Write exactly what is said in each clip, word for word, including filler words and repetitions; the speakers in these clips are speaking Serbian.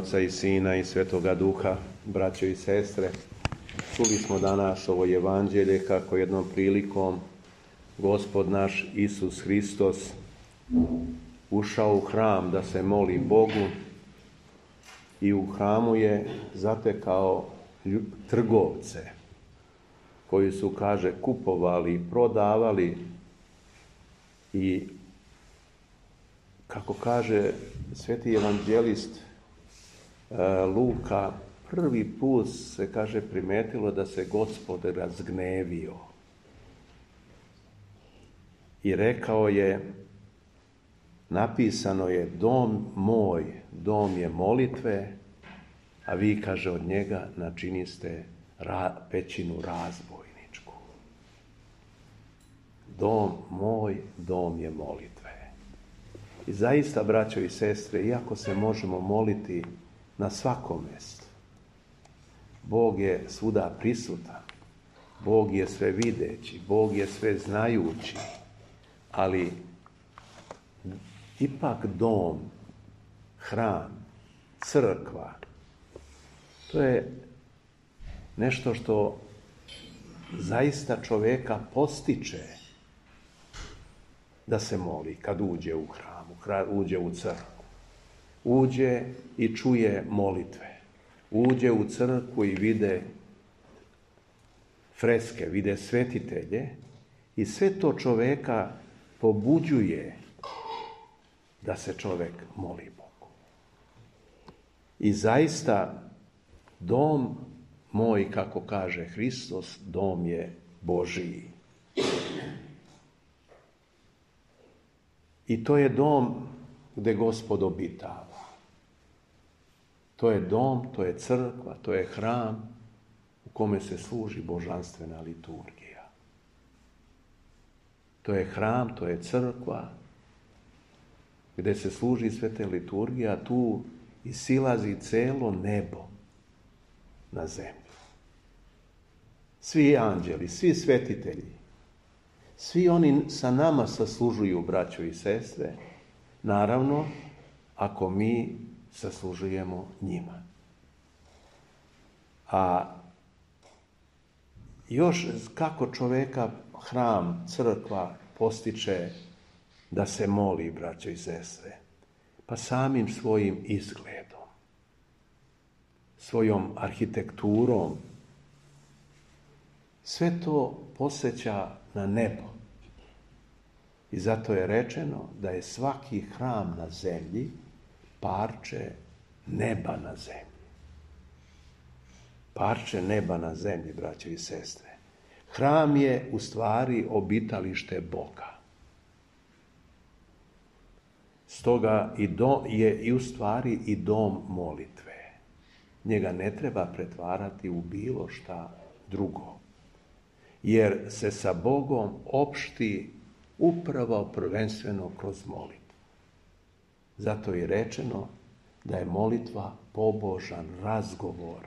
Oca i Sina i Svetoga Duha, braćo i sestre. Čuli smo danas ovo evanđelje kako jednom prilikom Gospod naš Isus Hristos ušao u hram da se moli Bogu i u hramu je zatekao trgovce koji su, kaže, kupovali, prodavali i, kako kaže sveti evanđelist Luka, prvi put se, kaže, primetilo da se Gospod razgnevio. I rekao je, napisano je, dom moj, dom je molitve, a vi, kaže, od njega načiniste ra, pećinu razbojničku. Dom moj, dom je molitve. I zaista, braćo i sestre, iako se možemo moliti na svakom mjestu, Bog je svuda prisutan, Bog je sve videći, Bog je sve znajući, ali ipak dom, hram, crkva, to je nešto što zaista čovjeka postiče da se moli kad uđe u hram, uđe u crkvu, uđe i čuje molitve, uđe u crkvu i vide freske, vide svetitelje i sve to čovjeka pobuđuje da se čovjek moli Bogu. I zaista dom moj, kako kaže Hristos, dom je Božiji. I to je dom gdje Gospod obitava. To je dom, to je crkva, to je hram u kome se služi božanstvena liturgija. To je hram, to je crkva gdje se služi sveta liturgija, tu i silazi celo nebo na zemlju. Svi anđeli, svi svetitelji, svi oni sa nama saslužuju, braćo i sestre, naravno, ako mi saslužujemo njima. A još kako čovjeka hram, crkva postiče da se moli, braćo i sestre? Pa samim svojim izgledom, svojom arhitekturom. Sve to podsjeća na nebo. I zato je rečeno da je svaki hram na zemlji parče neba na zemlji. Parče neba na zemlji, braćo i sestre. Hram je u stvari obitalište Boga. Stoga i do, je i u stvari i dom molitve. Njega ne treba pretvarati u bilo šta drugo. Jer se sa Bogom opšti upravo prvenstveno kroz molitvu. Zato je rečeno da je molitva pobožan razgovor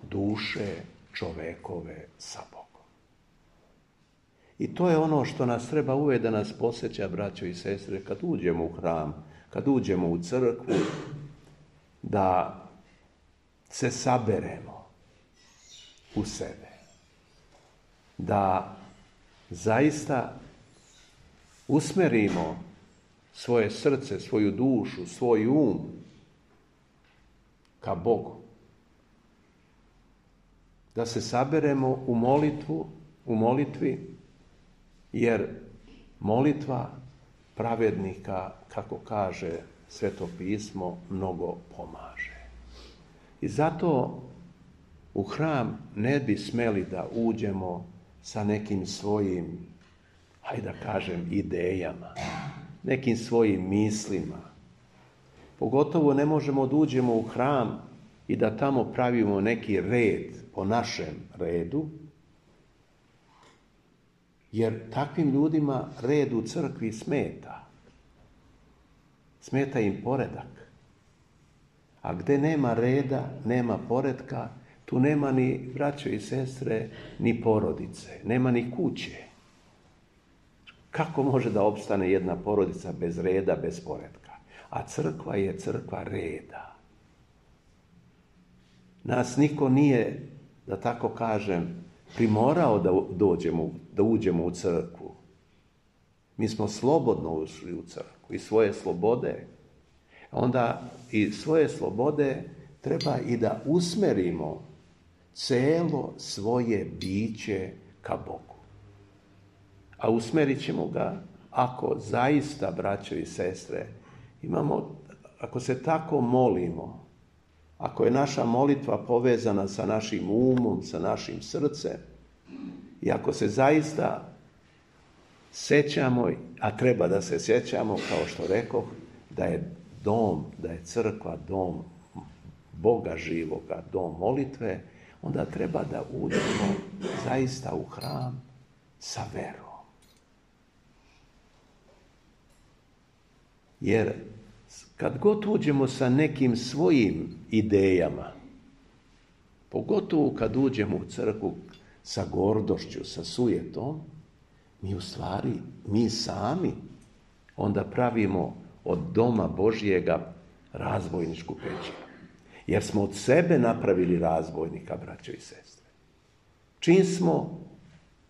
duše čovekove sa Bogom. I to je ono što nas treba uvijek da nas podsjeća, braćo i sestre, kad uđemo u hram, kad uđemo u crkvu, da se saberemo u sebe. Da zaista usmerimo svoje srce, svoju dušu, svoj um ka Bogu. Da se saberemo u molitvu, u molitvi, jer molitva pravednika, kako kaže Sveto pismo, mnogo pomaže. I zato u hram ne bi smeli da uđemo sa nekim svojim, hajde da kažem, idejama, nekim svojim mislima. Pogotovo ne možemo da uđemo u hram i da tamo pravimo neki red po našem redu, jer takvim ljudima red u crkvi smeta. Smeta im poredak. A gdje nema reda, nema poretka, tu nema ni, braćo i sestre, ni porodice, nema ni kuće. Kako može da opstane jedna porodica bez reda, bez poretka? A crkva je crkva reda. Nas niko nije, da tako kažem, primorao da dođemo, da uđemo u crkvu. Mi smo slobodno ušli u crkvu i svoje slobode. Onda i svoje slobode treba i da usmerimo celo svoje biće ka Bogu. A usmerit ćemo ga ako zaista, braćo i sestre, imamo, ako se tako molimo, ako je naša molitva povezana sa našim umom, sa našim srcem, i ako se zaista sećamo, a treba da se sjećamo, kao što rekoh, da je dom, da je crkva dom Boga živoga, dom molitve, onda treba da uđemo zaista u hram sa verom. Jer kad god uđemo sa nekim svojim idejama, pogotovo kad uđemo u crkvu sa gordošću, sa sujetom, mi u stvari, mi sami onda pravimo od doma Božjega razbojničku pećinu. Jer smo od sebe napravili razbojnika, braćo i sestre. Čim smo,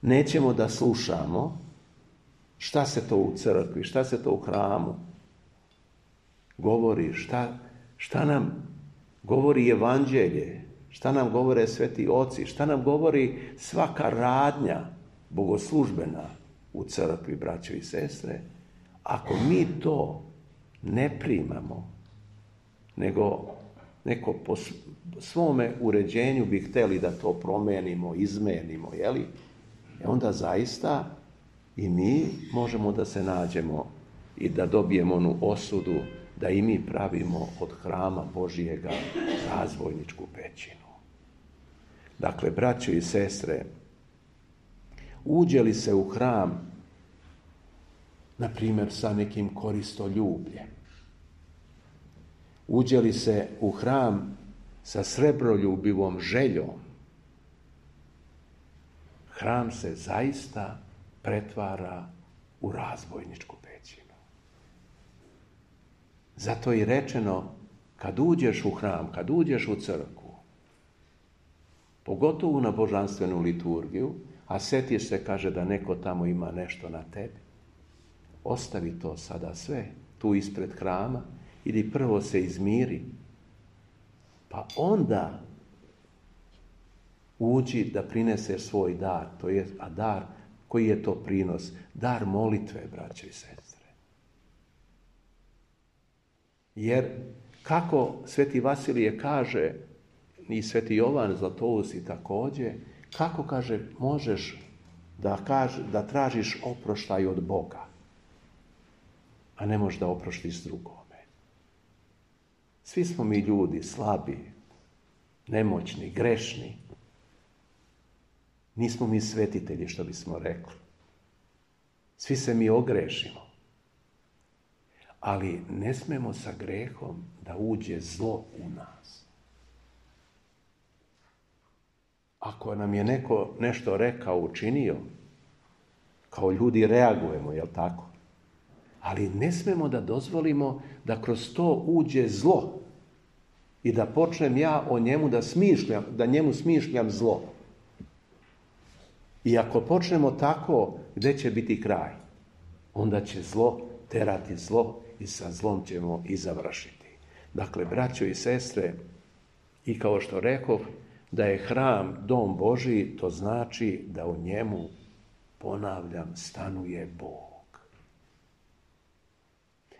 nećemo da slušamo šta se to u crkvi, šta se to u hramu govori, šta, šta nam govori evanđelje, šta nam govore sveti oci, šta nam govori svaka radnja bogoslužbena u crkvi, braćo i sestre. Ako mi to ne primamo, nego neko po svome uređenju bi hteli da to promenimo, izmenimo, jeli? E onda zaista i mi možemo da se nađemo i da dobijemo onu osudu da i mi pravimo od hrama Božijega razbojničku pećinu. Dakle, braćo i sestre, uđe li se u hram, na primjer, sa nekim koristoljubljem, uđe li se u hram sa srebroljubivom željom, hram se zaista pretvara u razbojničku pećinu. Zato je rečeno, kad uđeš u hram, kad uđeš u crkvu, pogotovo na božanstvenu liturgiju, a sjetiš se, kaže, da neko tamo ima nešto na tebi, ostavi to sada sve tu ispred hrama, ili prvo se izmiri, pa onda uđi da prineseš svoj dar, to je, a dar, koji je to prinos? Dar molitve, braćo i sestre. Jer kako sveti Vasilije kaže, i sveti Jovan Zlatousti također, kako, kaže, možeš da, kaže, da tražiš oproštaj od Boga, a ne možeš da oproštiš drugome. Svi smo mi ljudi slabi, nemoćni, grešni. Nismo mi svetitelji, što bismo rekli. Svi se mi ogrešimo. Ali ne smemo sa grehom da uđe zlo u nas. Ako nam je neko nešto rekao, učinio, kao ljudi reagujemo, jel tako? Ali ne smemo da dozvolimo da kroz to uđe zlo i da počnem ja o njemu da smišljam, da njemu smišljam zlo. I ako počnemo tako, gdje će biti kraj? Onda će zlo terati zlo i sa zlom ćemo i završiti. Dakle, braćo i sestre, i kao što rekoh, da je hram dom Božji, to znači da u njemu, ponavljam, stanuje Bog.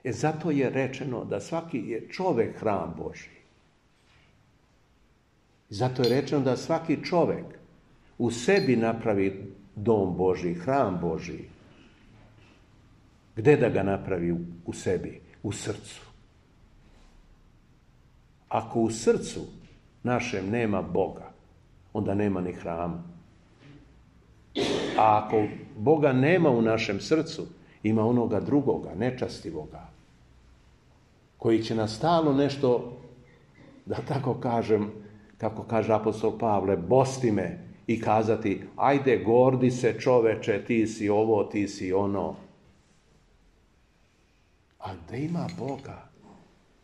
E zato je rečeno da svaki je čovjek hram Božji. Zato je rečeno da svaki čovjek u sebi napravi dom Božji, hram Božji. Gde da ga napravi u, u sebi? U srcu. Ako u srcu našem nema Boga, onda nema ni hrama. A ako Boga nema u našem srcu, ima onoga drugoga, nečastivoga, koji će nas stalno nešto, da tako kažem, kako kaže apostol Pavle, bosti me i kazati, ajde, gordi se čoveče, ti si ovo, ti si ono. A gde ima Boga,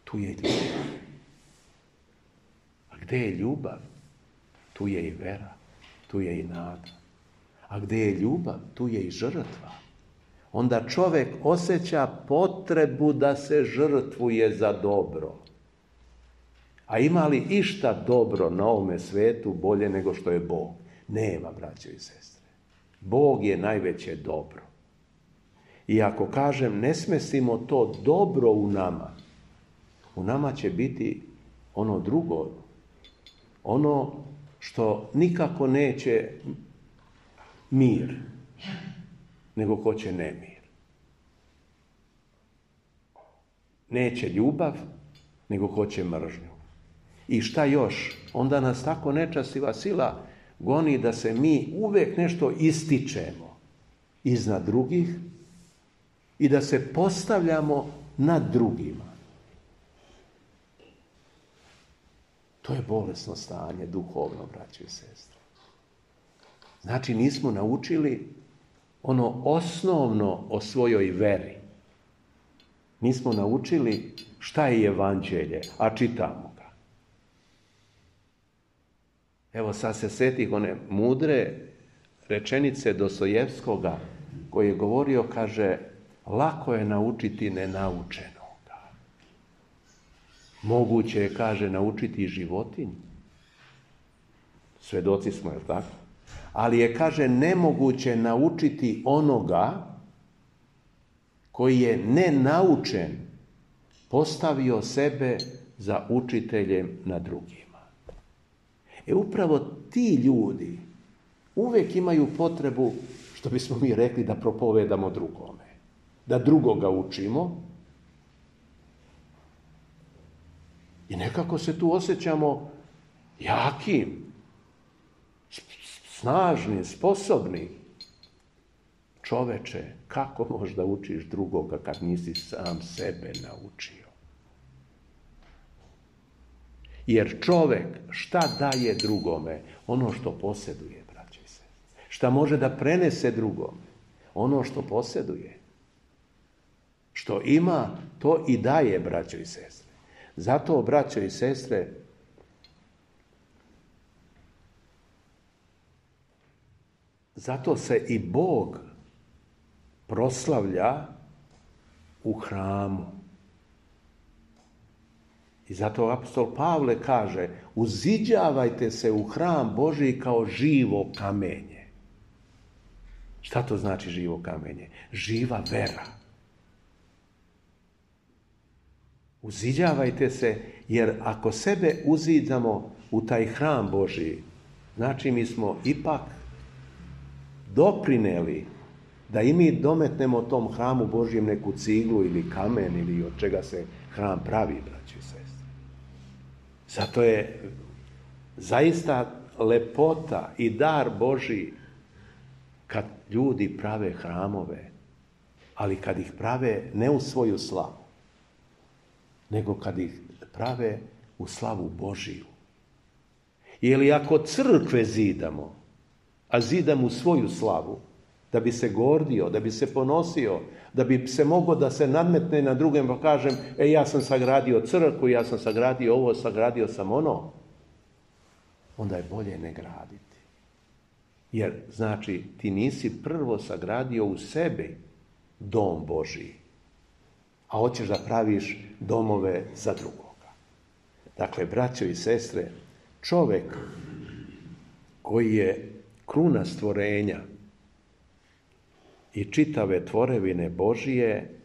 tu je ljubav. A gdje je ljubav, tu je i vera, tu je i nada. A gdje je ljubav, tu je i žrtva. Onda čovjek osjeća potrebu da se žrtvuje za dobro. A ima li išta dobro na ovome svetu bolje nego što je Bog? Nema, braćo i sestre. Bog je najveće dobro. I ako kažem, ne smestimo to dobro u nama, u nama će biti ono drugo, ono što nikako neće mir, nego hoće nemir. Neće ljubav, nego hoće mržnju. I šta još? Onda nas tako nečastiva sila goni da se mi uvijek nešto ističemo iznad drugih i da se postavljamo nad drugima. To je bolesno stanje, duhovno, braćo i sestre. Znači, nismo naučili ono osnovno o svojoj veri. Nismo naučili šta je evanđelje, a čitamo ga. Evo sad se setih one mudre rečenice Dostojevskoga koji je govorio, kaže, lako je naučiti nenaučenoga. Moguće je, kaže, naučiti životinju. Svedoci smo, je li tako? Ali je, kaže, nemoguće naučiti onoga koji je nenaučen postavio sebe za učiteljem na drugima. E upravo ti ljudi uvijek imaju potrebu, što bismo mi rekli, da propovedamo drugome. Da drugoga učimo. I nekako se tu osjećamo jakim, snažni, sposobni. Čoveče, kako možda učiš drugoga kad nisi sam sebe naučio? Jer čovek šta daje drugome? Ono što posjeduje, braće i sestre. Šta može da prenese drugome? Ono što posjeduje. Što ima, to i daje, braćo i sestre. Zato, braćo i sestre, zato se i Bog proslavlja u hramu. I zato apostol Pavle kaže, uziđavajte se u hram Božji kao živo kamenje. Šta to znači živo kamenje? Živa vera. Uziđavajte se, jer ako sebe uziđamo u taj hram Božji, znači mi smo ipak doprineli da i mi dometnemo tom hramu Božjem neku ciglu ili kamen ili od čega se hram pravi, braći i sestre. Zato je zaista lepota i dar Božji kad ljudi prave hramove, ali kad ih prave ne u svoju slavu, nego kad ih prave u slavu Božiju. Ili ako crkve zidamo, a zidam u svoju slavu, da bi se gordio, da bi se ponosio, da bi se mogao da se nadmetne na drugem, pa kažem, e, ja sam sagradio crkvu, ja sam sagradio ovo, sagradio sam ono, onda je bolje ne graditi. Jer, znači, ti nisi prvo sagradio u sebi dom Božiji, a hoćeš da praviš domove za drugoga. Dakle, braćo i sestre, čovjek koji je kruna stvorenja i čitave tvorevine Božije,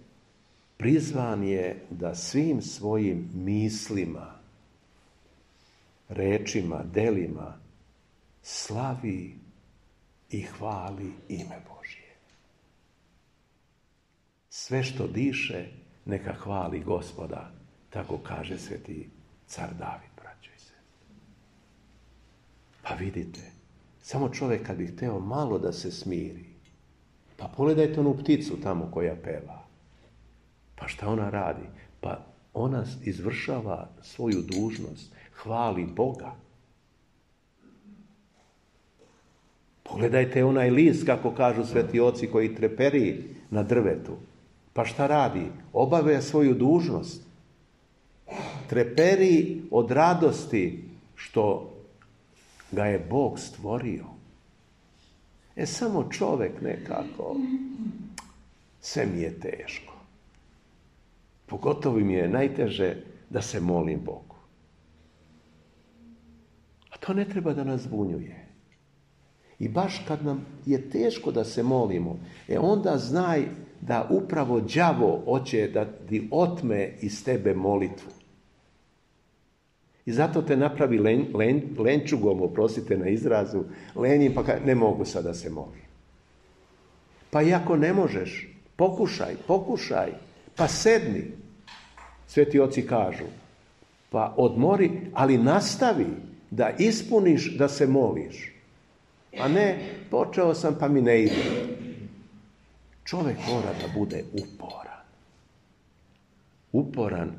prizvan je da svim svojim mislima, rečima, delima slavi i hvali ime Božje. Sve što diše, neka hvali Gospoda, tako kaže sveti car David, braćo i sestre. Pa vidite, samo čovjek kad bi hteo malo da se smiri, pa pogledajte onu pticu tamo koja peva. Pa šta ona radi? Pa ona izvršava svoju dužnost, hvali Boga. Pogledajte onaj list, kako kažu sveti oci, koji treperi na drvetu. Pa šta radi? Obavlja svoju dužnost. Treperi od radosti što ga je Bog stvorio. E samo čovjek nekako, sve mi je teško. Pogotovo mi je najteže da se molim Bogu. A to ne treba da nas zbunjuje. I baš kad nam je teško da se molimo, e onda znaj da upravo đavo hoće da ti otme iz tebe molitvu. I zato te napravi len, len, lenčugom, oprostite na izrazu, lenjim, pa ne mogu sad da se molim. Pa i ako ne možeš, pokušaj, pokušaj, pa sedni. Sveti oci kažu, pa odmori, ali nastavi da ispuniš da se moliš. A ne, počeo sam pa mi ne ide. Čovjek mora da bude uporan. Uporan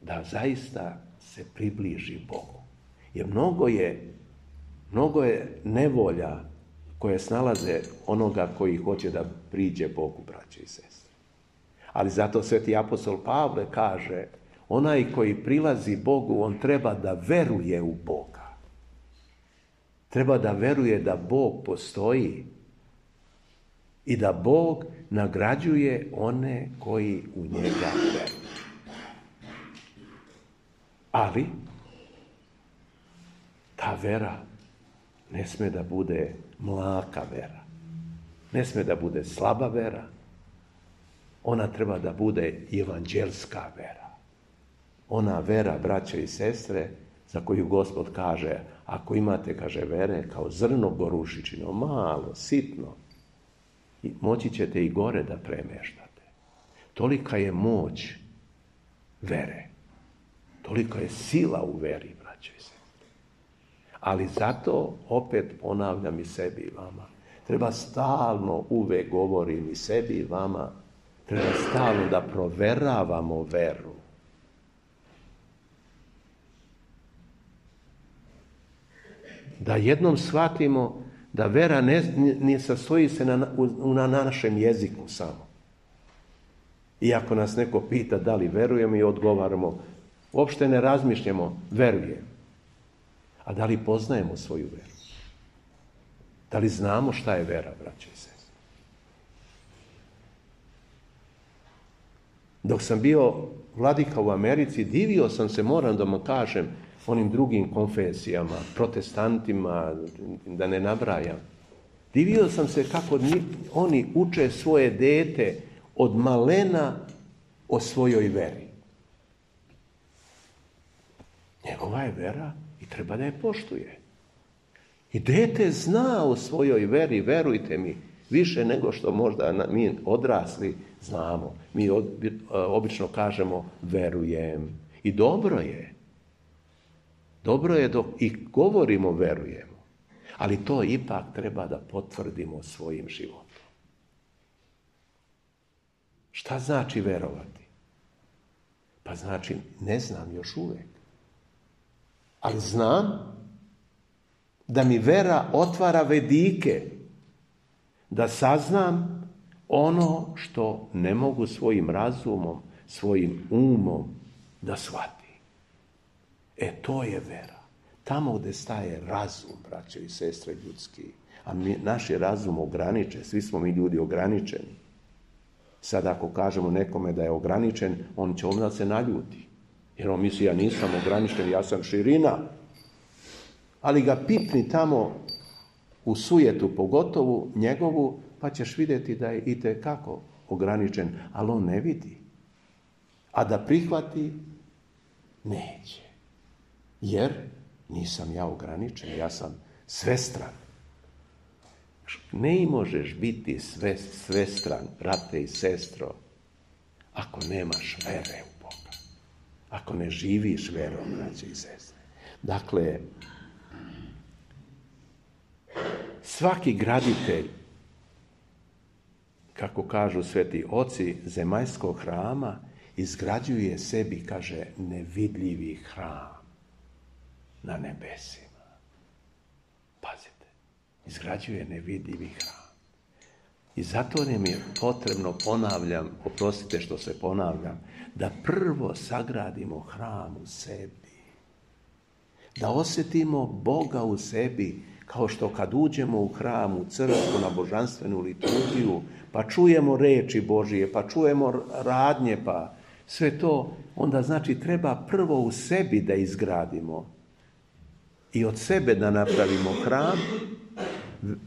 da zaista se približi Bogu. Jer mnogo je, mnogo je nevolja koje snalaze onoga koji hoće da priđe Bogu, braće i sestre. Ali zato sveti apostol Pavle kaže, onaj koji prilazi Bogu, on treba da veruje u Boga. Treba da veruje da Bog postoji i da Bog nagrađuje one koji u njega veruju. Ali ta vera ne sme da bude mlaka vera. Ne sme da bude slaba vera. Ona treba da bude evanđelska vera. Ona vera, braće i sestre, za koju Gospod kaže, ako imate, kaže, vere kao zrno gorušičino, malo, sitno, moći ćete i gore da premeštate. Tolika je moć vere. Toliko je sila u veri, braćo i sestre. Ali zato, opet ponavljam i sebi i vama, treba stalno, uvek govorim i sebi i vama, treba stalno da proveravamo veru. Da jednom shvatimo da vera ne, ne sastoji se na, na našem jeziku samo. Iako nas neko pita da li verujemo i odgovaramo, uopšte ne razmišljamo, verujem. A da li poznajemo svoju veru? Da li znamo šta je vera, braće i sestre? Dok sam bio vladika u Americi, divio sam se, moram da vam kažem, onim drugim konfesijama, protestantima, da ne nabrajam. Divio sam se kako oni uče svoje dete od malena o svojoj veri. Njegova je vera i treba da je poštuje. I dete zna o svojoj veri, verujte mi, više nego što možda mi odrasli znamo. Mi obično kažemo verujem. I dobro je. Dobro je dok i govorimo verujemo. Ali to ipak treba da potvrdimo svojim životom. Šta znači verovati? Pa znači ne znam još uvek. Ali znam da mi vera otvara vedike, da saznam ono što ne mogu svojim razumom, svojim umom da shvatim. E, to je vera. Tamo gde staje razum, braće i sestre ljudski, a mi, naš je razum ograničen, svi smo mi ljudi ograničeni. Sad ako kažemo nekome da je ograničen, on će onda se naljuti. Jer on misli, ja nisam ograničen, ja sam širina. Ali ga pipni tamo u sujetu, pogotovo njegovu, pa ćeš vidjeti da je itekako ograničen, ali on ne vidi. A da prihvati, neće. Jer nisam ja ograničen, ja sam svestran. Ne možeš biti sve, svestran, brate i sestro, ako nemaš vere u Boga. Ako ne živiš verom, braće i sestre. Dakle, svaki graditelj, kako kažu sveti oci zemaljskog hrama, izgrađuje sebi, kaže, nevidljivi hram na nebesima. Pazite, izgrađuje nevidljivi hram. I zato nam je potrebno, ponavljam, oprostite što se ponavljam, da prvo sagradimo hram u sebi. Da osjetimo Boga u sebi, kao što kad uđemo u hram, u crkvu, na božanstvenu liturgiju, pa čujemo reči Božije, pa čujemo radnje, pa sve to, onda znači treba prvo u sebi da izgradimo i od sebe da napravimo hram,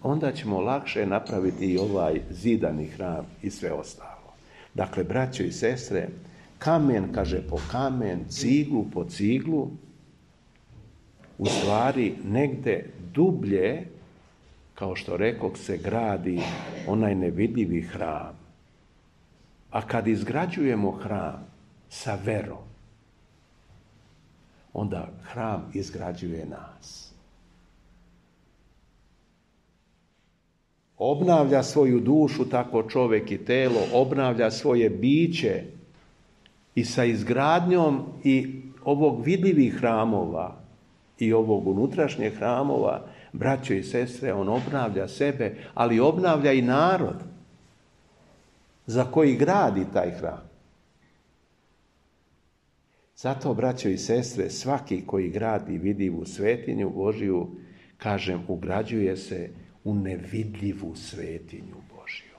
onda ćemo lakše napraviti i ovaj zidani hram i sve ostalo. Dakle, braćo i sestre, kamen, kaže, po kamen, ciglu po ciglu, u stvari negde dublje, kao što rekoh, se gradi onaj nevidljivi hram. A kad izgrađujemo hram sa verom, onda hram izgrađuje nas. Obnavlja svoju dušu, tako čovjek i telo, obnavlja svoje biće i sa izgradnjom i ovog vidljivih hramova i ovog unutrašnjeg hramova, braćo i sestre, on obnavlja sebe, ali obnavlja i narod za koji gradi taj hram. Zato, braćo i sestre, svaki koji gradi vidljivu svetinju Božiju, kažem, ugrađuje se u nevidljivu svetinju Božju,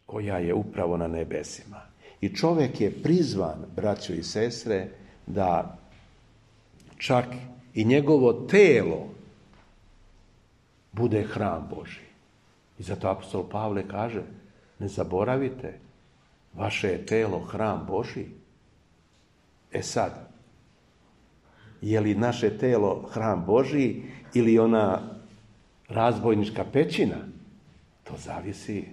koja je upravo na nebesima. I čovjek je prizvan, braćo i sestre, da čak i njegovo telo bude hram Božji. I zato apostol Pavle kaže, ne zaboravite, vaše je telo hram Božji. E sad, je li naše telo hram Božji ili ona razbojnička pećina? To zavisi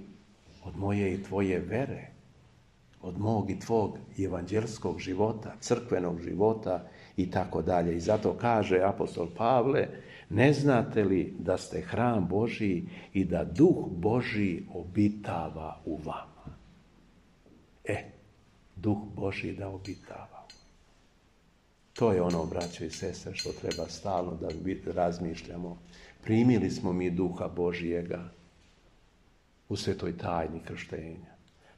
od moje i tvoje vere, od mog i tvog evanđelskog života, crkvenog života i tako dalje. I zato kaže apostol Pavle, ne znate li da ste hram Božji i da Duh Božji obitava u vama? E, Duh Božji da obitava. To je ono, braćo i sestre, što treba stalno da razmišljamo. Primili smo mi Duha Božjega u svetoj tajni krštenja.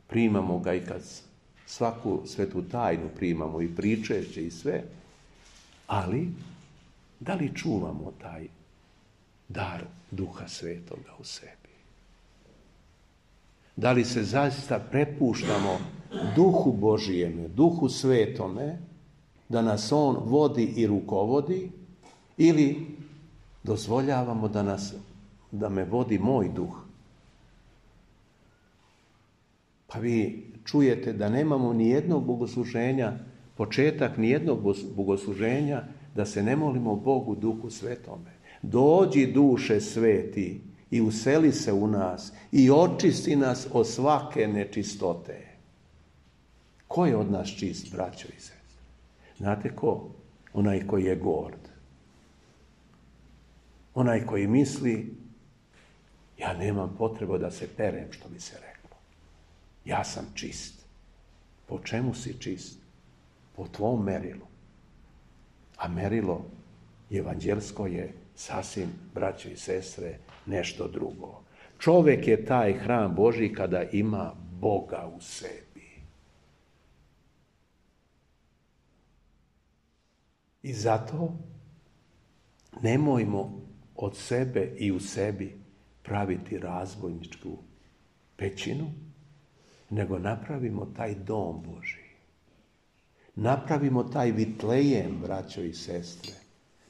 Primamo ga i kad svaku svetu tajnu primamo i pričešće i sve, ali da li čuvamo taj dar Duha Svetoga u sebi? Da li se zaista prepuštamo Duhu Božijeme, Duhu Svetome, da nas on vodi i rukovodi, ili dozvoljavamo da, nas, da me vodi moj duh? Pa vi čujete da nemamo ni jednog bogosluženja, početak ni jednog bogosluženja, da se ne molimo Bogu Duhu Svetome. Dođi, Duše Sveti, i useli se u nas i očisti nas od svake nečistote. Ko je od nas čist, braćo i sestre? Znate ko? Onaj koji je gord. Onaj koji misli, ja nemam potrebu da se perem, što bi se reklo. Ja sam čist. Po čemu si čist? Po tvom merilu. A merilo evanđelsko je sasvim, braćo i sestre, nešto drugo. Čovjek je taj hram Božji kada ima Boga u sebi. I zato nemojmo od sebe i u sebi praviti razbojničku pećinu, nego napravimo taj dom Božji. Napravimo taj vitlejem, braćo i sestre,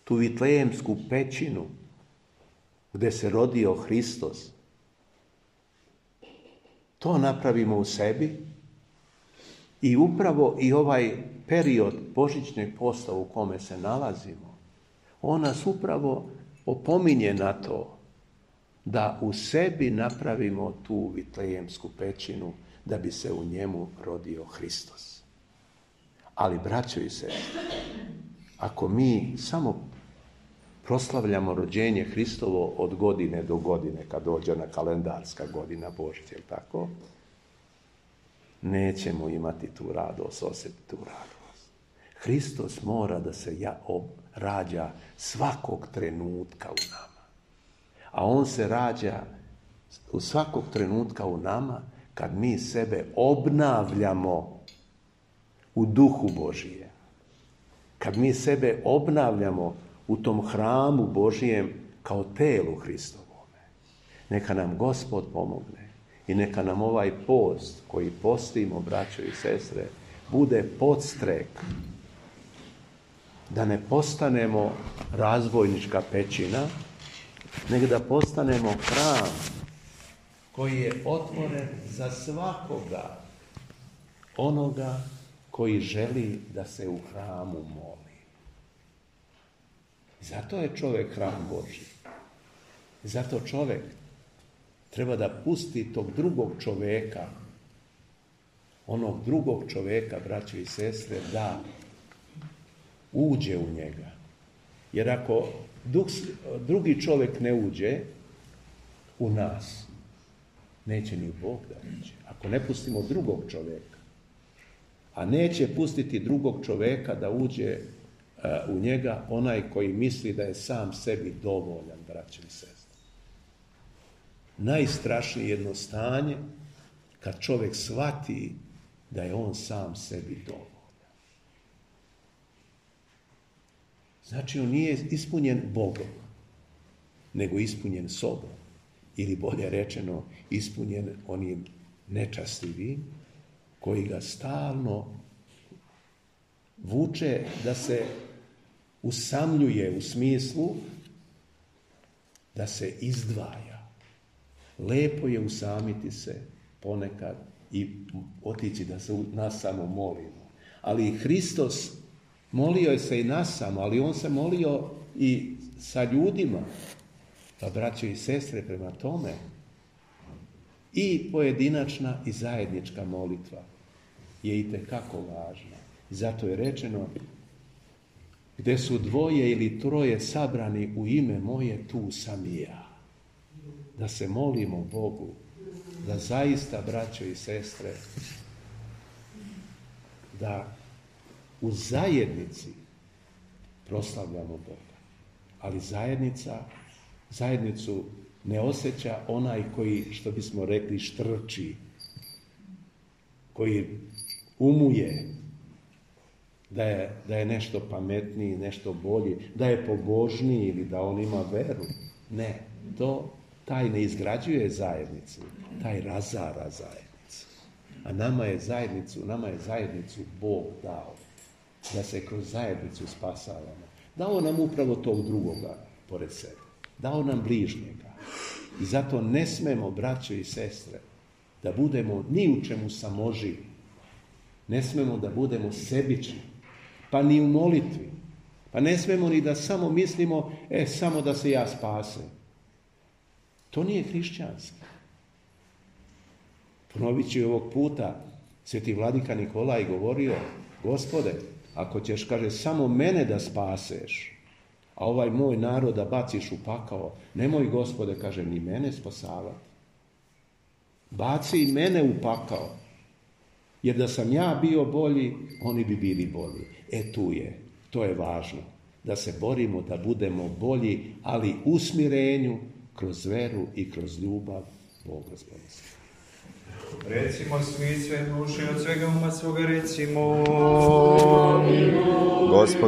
tu vitlejemsku pećinu gdje se rodio Hristos. To napravimo u sebi i upravo i ovaj period božićnog posta u kome se nalazimo, on nas upravo opominje na to da u sebi napravimo tu vitlejemsku pećinu da bi se u njemu rodio Hristos. Ali, braćo i sestre, ako mi samo proslavljamo rođenje Hristovo od godine do godine, kad dođe ona kalendarska godina Božića, jel tako? Nećemo imati tu radost, osjetiti tu radost. Hristos mora da se ja rađa svakog trenutka u nama. A on se rađa u svakog trenutka u nama kad mi sebe obnavljamo u Duhu Božije. kad mi sebe obnavljamo u tom hramu Božijem kao telu Hristovome. Neka nam Gospod pomogne i neka nam ovaj post koji postimo, braćo i sestre, bude podstrek da ne postanemo razbojnička pećina, nego da postanemo hram koji je otvoren za svakoga onoga koji želi da se u hramu moli. Zato je čovjek hram Božji. Zato čovjek treba da pusti tog drugog čovjeka, onog drugog čovjeka, braće i sestre, da uđe u njega. Jer ako drugi čovjek ne uđe u nas, neće ni Bog da uđe. Ako ne pustimo drugog čovjeka, a neće pustiti drugog čovjeka da uđe uh, u njega onaj koji misli da je sam sebi dovoljan, braće i sestre. Najstrašnije jedno stanje kad čovjek shvati da je on sam sebi dovoljan. Znači, on nije ispunjen Bogom, nego ispunjen sobom. Ili bolje rečeno, ispunjen onim nečastivim koji ga stalno vuče da se usamljuje u smislu da se izdvaja. Lepo je usamiti se ponekad i otići da se nas samo molimo. Ali Hristos molio je se i nas samo, ali on se molio i sa ljudima. Pa, braćo i sestre, prema tome i pojedinačna i zajednička molitva je itekako važna. Zato je rečeno, gdje su dvoje ili troje sabrani u ime moje, tu sam i ja. Da se molimo Bogu, da zaista, braćo i sestre, da u zajednici proslavljamo Boga. Ali zajednica, zajednicu ne osjeća onaj koji, što bismo rekli, štrči, koji umuje da je, da je nešto pametniji, nešto bolji, da je pobožniji ili da on ima veru. Ne, to, taj ne izgrađuje zajednicu, taj razara zajednicu. A nama je zajednicu, nama je zajednicu Bog dao, da se kroz zajednicu spasavamo. Dao nam upravo tog drugoga pored sebe. Dao nam bližnjega. I zato ne smemo, braćo i sestre, da budemo ni u čemu samoživi. Ne smemo da budemo sebični, pa ni u molitvi. Pa ne smemo ni da samo mislimo, e, samo da se ja spasem. To nije hrišćanski. Ponovit ću ovog puta, sveti vladika Nikolaj govorio, Gospode, ako ćeš, kaže, samo mene da spaseš, a ovaj moj narod da baciš u pakao, nemoj, Gospode, kaže, ni mene spasavati. Baci i mene u pakao, jer da sam ja bio bolji, oni bi bili bolji. E tu je, to je važno, da se borimo da budemo bolji, ali u smirenju, kroz veru i kroz ljubav Boga zbogstva. Recimo svi sve duše od svega uma svoga, recimo Gospod